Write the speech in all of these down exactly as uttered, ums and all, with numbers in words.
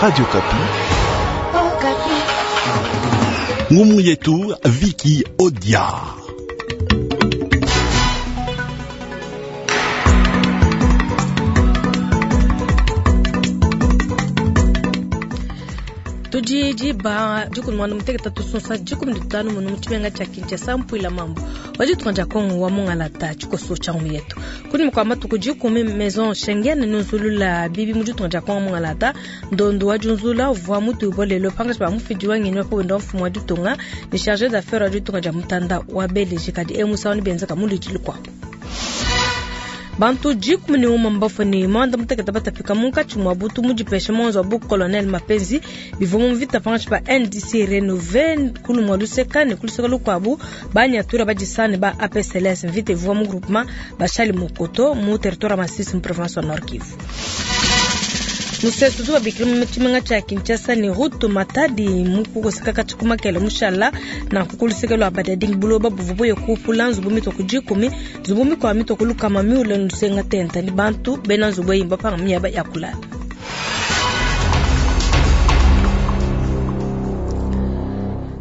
Radio Okapi. Ngumu yetu Viki Odia. Tudi diba dikumi muanda mutekete tusonsa dikumi ditanu munu mu tshimenga tshia Kinshasa mpuila mambo wa ditunga dia Kongo wa mungalata tshikoso tshia ngumu yetu kunyima kua matuku dikumi maison Schengen nunzulula bibi mu ditunga dia Kongo mungalata ndondo wa diunzula uvua mutuibua lelo pangatshi pa mufidi wa ngenyi wa pa wenda wa mfumu wa ditunga ne chargé d'affaires wa ditunga dia mutanda wa Belgique kadi emusawu ne benzeka mu luidi lukuabu. Bantu dikumi ne umue mbafue ne muanda mutekete batapika munkatshi mua butu mu dipesha muanzu wa bu colonel Mapenzi bivua mu mvita pangatshi pa N D C Renouvé kulu mua luseka ne kuluseka lukuabu banyatura badisane ba A P C L S mvita ivua mu groupement Bashali Mokoto mu territoire ya Masisi mu province wa Nord Kivu. Musesu tu babikila mu tshimenga tshia Kinshasa ne route Matadi mu kukoseka katshi kumakele mushala na kukuluseka lwa Badading buloba buvua buye kupula nzubu mitoku dikumi nzubu mikua mitoku lukama miule nusenga tenta ni bantu bena nzubu eyi mbapanga miaba ya kulala.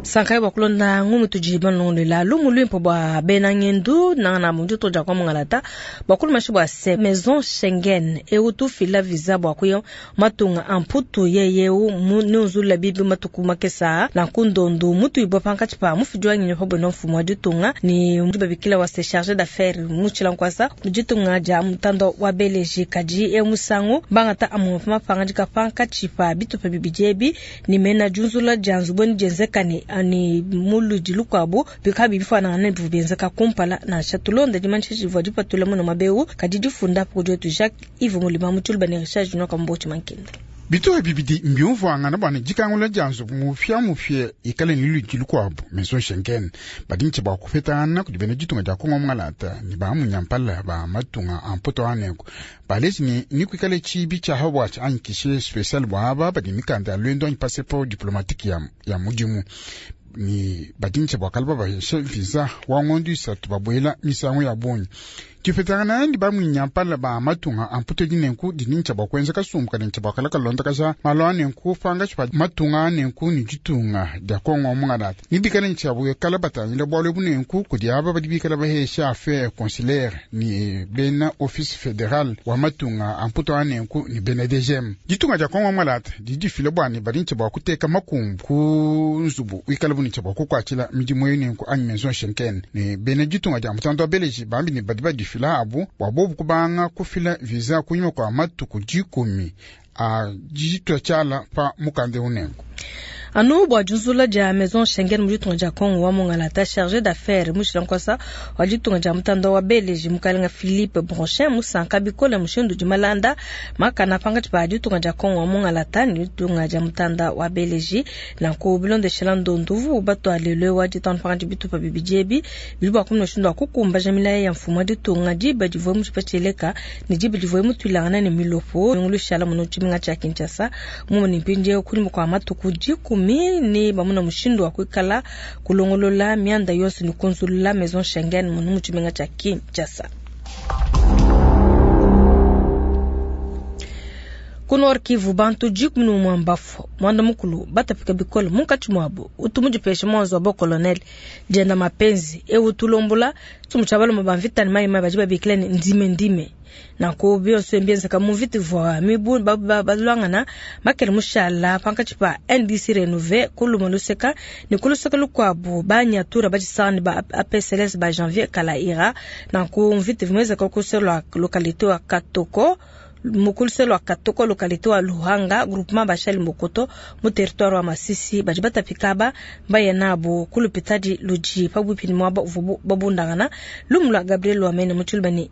Sankai bua kulonda ngumu tudi balongolola lumu luimpe bua bena ngendu nanga na muditu dia kwa mungalata bua kulumashi bua se maison Schengen eu tufila visa bua kuya matunga amputu yeyeu mu nunzula bibi matuku makesa na kundondu mutu ibwa pankatshi pa mufidi wa ngenyi pa bwena mfumu wa ditunga ni mutu babikila wa se chargé d'affaires mutshila nkwasa muditunga dia mutanda wa Belgique kadi e musangu bangata amwe pa mapangadika pankatshi pa bitupa bibidi ebi ni mena diunzula dia nzubu dienzeka ni ni muludi lukuabu bikabi bifanana ne bivua bienzeka kumpala nansha tulonda dimanyisha divua dipatula muno mabeu kadi difunda apo kudi wetu Jacques Yves Mulima mu Tshiluba ne Richard Junior Kambochi Mankenda. Bitupa bibidi mbiumvuangana bua ne dikangula dia nzubu mupia-mupia ikale ne ludi lukuabu maison Schengen badi ntshia bua kupetangana kudi bena ditunga dia Kongo mungalata ne ba munyampala ba matunga a mpoto aneko baleji ne ni kuikale tshibi tshia habwatshi anyi guichet spécial bua aba badi mikanda ya lwendo anyi passeport diplomatique ya, ya mudimu ni badi ntshia bua kala babahesha visa wa ngondo isatu babuela misangu ya bungi. Dipetangana ndi ba munyampala ba matunga a mputu dinenku didi ntshia bua kuenza kasumbu kadi ntshia bua kala kalonda kasha malu anenku panga tshipa matunga anenku ni ditunga dia Kongo mungalata. Ni bikale ntshia bua kala batangila bualu bunenku kudi aba badi bikala bahesha affaire consulaire ni bena office fédéral wa matunga a mputu anenku ni bena D G M. Ditunga dia Kongo mungalata didi difila bua ne badi ntshia bua kuteka makumbu ku nzubu wikala bu ntshia bua kukuatshila midimu yenenku anyi maison Schengen ni bena ditunga dia mutanda wa Belgique bambi ne badi badifila abu bua bobu kubanga kufila visa kunyima kwa matuku dikumi a ditua tshiala pa mukanda unenku. Anu bua diunzula dia maison Schengen mu ditunga dia Kongo wa mungalata chargé d'affaires mushila nkwasa wa ditunga dia mutanda wa Belgique mukalenga Philippe Bronchin musanka bikole mushindu di malanda makana pangatshi pa ditunga dia Kongo wa mungalata ni ditunga dia mutanda wa Belgique nanku bilondeshela ndonduvu batwalelwe wa ditanu pangatshi bitupa bibidi ebi bidi bua kumuna mushindu wa kukumbaja milaya ya mfumu wa ditunga diba divua mutshipatshieleka ne diba divua mutuilangana ne milopo ngulushala muno tshimenga tshia Kinshasa mumuni mpindieu kunyima kua matuku dikumi ni bamuna mushindu wa kuikala kulongolola mianda yonso ni kunzulula maison Schengen munu mu tshimenga tshia Kinshasa. Ku Nord Kivu bantu dikumi ne umue mbafue muanda mukulu batapika bikole munkatshi muabu utu mudipeshe muanzu wa bo colonel dienda mapenzi eu tulombola tsumu tshia balume ba mvita ne mayi mayi badi babikila ne ndime ndime nanku bionso mbienzeka mu mvita ivua mibu ba, ba, balwangana makele mushala pankatshi pa N D C Renouvé kuluma luseka ne kuluseka lukuabu banyatura badisanga ne ba A P C L S ba Janvier Kalaira nanku mvita ivua mienzeka kuselwa localité wa Katoko mukuluselo wa Katoko localité wa Luhanga groupement Bashali Mokoto mu territoire wa Masisi badi batapika ba mbaya nabo kulupitadi luji pabuipi ni mwaba uvubu babundangana lumu lwa Gabriel Wamene mu Tshiluba ni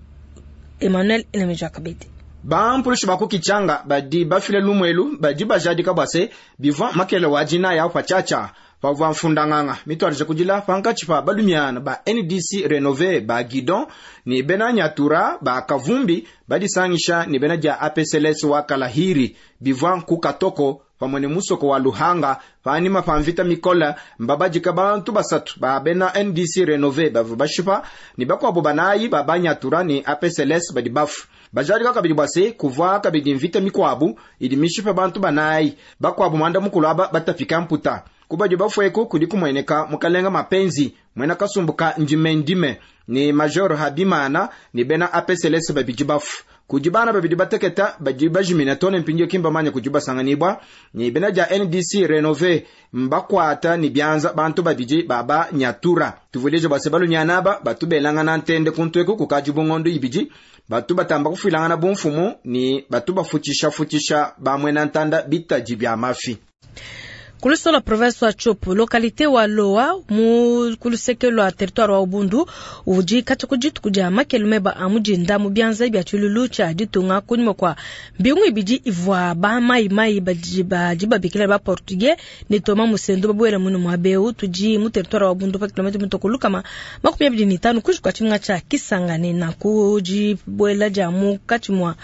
Emmanuel Enemejwa Kabedi. Bampulushi bakukichanga badi bafile lumwelu badi bajadika bwase bivwa makele wa jina ya pachacha pavwa mfundanganga mitwalije kudila pankatshi pa balumiana ba N D C Renové ba Guidon ni bena Nyatura ba Kavumbi badisangisha ni bena dia A P C L S wa Kalahiri bivwa ku Katoko pamwe ne musoko wa Luhanga panyima pa mvita mikola mbabadika bantu basatu ba bena N D C Renove bavua bashipa ne bakuabu banayi ba Banyatura ne A P C L S badi bafu. Bajadika kabidi bua se kuvua kabidi mvita mikuabu idi mishipa bantu banayi bakuabu mwanda mukulu aba batapika mputa. Kubadi bafueku kudi kumueneka mukalenga Mapenzi mwena kasumbuka ndime ndime ni Major Habimana ni bena A P C L S babidi bafu. Kudi bana babidi bateketa badi bajimina tone mpindio kimba manya kudi basanganibwa ni bena ja N D C Renove mbakwata ni byanza bantu babidi baba nyatura. Tuvuleje basebalu nyanaba batubelanga na ntende kuntweku kukaji bungondo ibidi batu batamba kufilangana bumfumu ni batu bafutisha futisha bamwe na ntanda bitaji bya mafi. Kulusola province wa Tshopo, localité wa Loa, mu kulusekelo wa territoire wa Ubundu, udi kati kujitu kuja makelume ba amujinda mu byanza bya tshilulu tsha ditunga kunyuma kwa mbingu ibidi ivwa ba mai mai baji ba bikila ba portugais ne Thomas Musendo babwela munu mwa beu tuji mu territoire wa Ubundu pa kilomita mitokulu kama makumi abidi ni tano kushikwa tshinga tsha Kisangani na kuji bwela ja mu kati mwa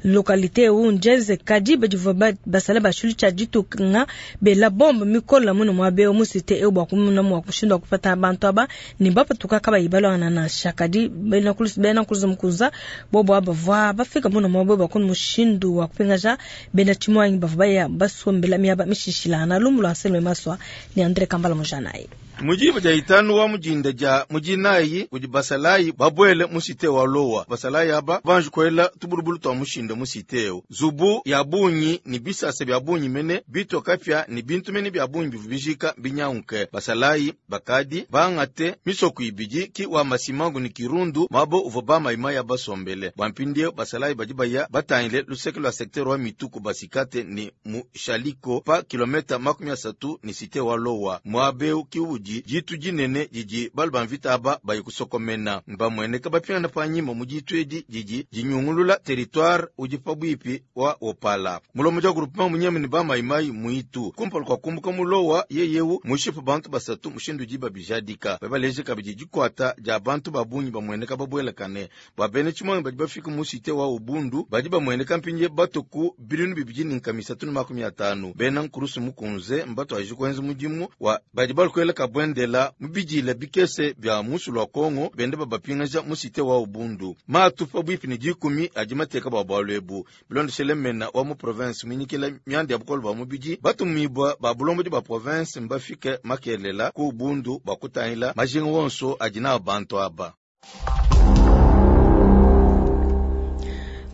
localité u njeze kadi badivwa basala ba tshilulu tsha ditunga bela bon mikola muno mwabe omusite e bwa kumuna mwa kushindwa kupata abantu aba ni bapa tukaka bayibalo na shakadi bena kulusi bena kulusi mkuza bobo abavwa bafika muno mwabe bakun mushindu wa kupingaja bena chimwangi bavaya basombela miaba mishishilana lumulo anselme maswa ni Andre Kambala Mujanayi. Mujibu ja itanu wa mujinda ja mujinayi kudi basalayi babwele musite wa Lowa. Basalayi aba banji kwela tubulubulu twa mushinda musite zubu ya bunyi ni bisase bya bunyi mene bitoka pya ni bintu mene bya bunyi bivubijika binyaunke. Basalayi bakadi bangate misoku ibidi ki wa masimangu ni kirundu mabo uvo ba maima ya basombele. Bwampindie basalayi badi baya batangile luseke lwa secteur wa mituku basikate ni mushaliko pa kilometa makumi asatu ni site wa Lowa. Mwabeu kiuji jitu jinene jiji balu mvita aba bayikusokomena mbamweneka bapingana panyima mujitu edi jiji jinyungulula territoire uji pabwipi wa opala mulomo ja groupement munyeme ni bamaimai muitu kumpala kwa kumbuka mulowa yeyewu mushipu bantu basatu mushindu jiba bijadika babaleje kabidi jikwata ja bantu babunyi bamweneka babwelekane babene chimwangi badi bafika musite wa Ubundu badi bamweneka mpinje batoku bilinu bibiji ni nkamisatu ni makumi atanu bena nkurusu mukunze mbatu ajikwenze mujimu wa badi balukweleka bwendela mubijila bikese bya musu lwa Kongo bende babapingaja musite wa Ubundu matu pabwipi ni jikumi ajimateka bwa bwalwebu bilondeshele mena wa mu province minyikila myandi ya bukolo bwa mubiji batumibwa ba bulombo ba province mbafike makelela ku Ubundu bakutangila majinga wonso ajina bantu aba.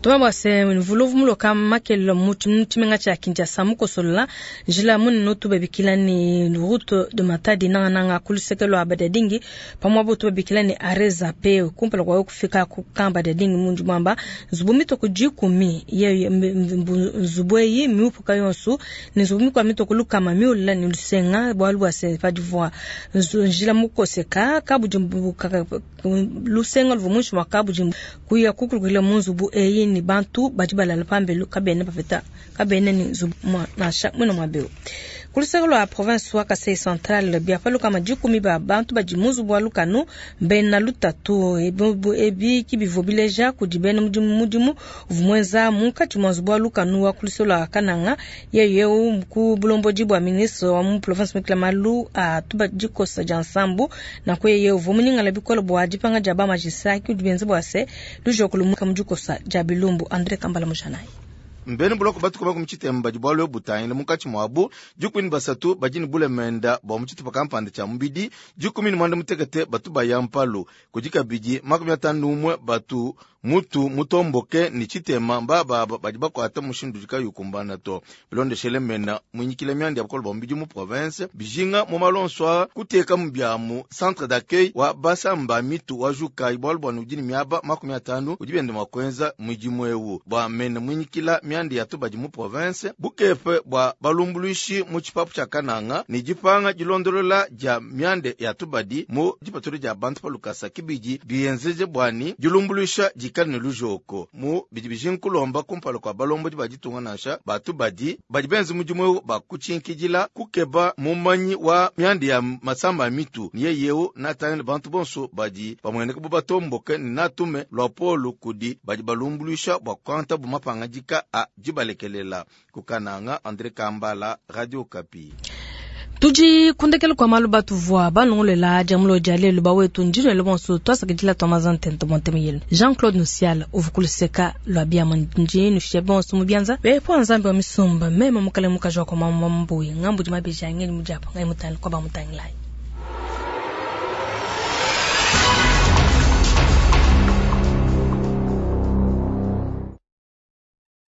Tuma bwase mvuluvu muloka makelo muchimenga cha Kinshasa mukosolola njila munene tubabikila ni route de Matadi nanga nanga kulusekelo abadadingi pamwa bo tubabikila ni areza pe kumpala kwa kufika kukamba dadingi munju mwamba nzubu mitoko jikumi ye nzubu eyi miupuka yonso ni nzubu mikwa mitoko lukama miula ni lusenga bwalu bwase padivwa njila mukoseka kabujimbu lusenga luvumushu makabujimbu kuya kukulukila munzubu eyi ni bantu badi balala pambelu kabene bapeta kabene ni nzubu nasha mwena mwabeo kuluseko lwa province wa Kasai Central bia paluka majikumi ba bantu badi muzubu wa lukanu mbena lutatu ebi kibivo bileja kudi bena mudimu mudimu vumwenza munkatshi mwa nzubu wa lukanu wa kuluseko lwa Kananga yeyeu ku bulomboji bwa ministre wa mu province mikila malu a tuba dikosa dia nsambu na kweye vumuningala bikolo bwa dipanga dia ba magistrat ki dibenze bwa se lujokulu muka mudikosa dia bilumbu Andre Kambala Mujanayi. Mbeni buloko batu kuba kumuchitemba jibwalo butangile mukachi mwabu jukumi basatu bajini bule menda bwa muchitupa kampande cha mubidi jukumi ni mwanda mutekete batu bayampalu kujikabiji makumi atanu umwe batu mutu mutomboke ni chitema mbaba badi bakwata mushindu jikayukumbana to bilondeshele mena mwinyikile myandi ya bukolo bwa mubidi mu province bijinga mu malonswa kuteka mubyamu centre d'accueil wa basamba mitu wa juka ibwalo bwa nujini miaba makumi atanu ujibende makwenza mwijimwewu bwa mena mwinyikila myandi ya tubaji mu province bukepe bwa balumbuluishi mu chipapu cha Kananga ni jipanga jilondolola ja myande ya tubadi mu jipatuli ja bantu palukasa kibiji biyenzeje bwani jilumbuluisha dikale ne lujoko mu bidi bijinga kulomba kumpala kua balombodi ba ditunga nansha ba tubadi badi benza mudimu eu bakutshinkidila kukeba mumanyi wa mianda ya masama a mitu ne yeye eu natangile bantu bonso badi bamueneka bu batomboke ne natume luapolu kudi badi balumbuluisha bua kuangatabu mapangadika a dibalekelela. Ku Kananga, Andre Kambala, Radio Okapi. Tudi kundekela kua malu batuvua balongolela dia mulo dia lelu bawetu ndinwele bonso twasakidila twa mazantente monteme yenu Jean-Claude Nusiala uvua kuluseka lua biama ndi nushiya bonso mu bianza bepo nzambi wa misumba meme mukale mukaji wa kwa mama mbuyi ngambudi mabeji angeni mudiapa ngai mutangile kwa bamutangilai.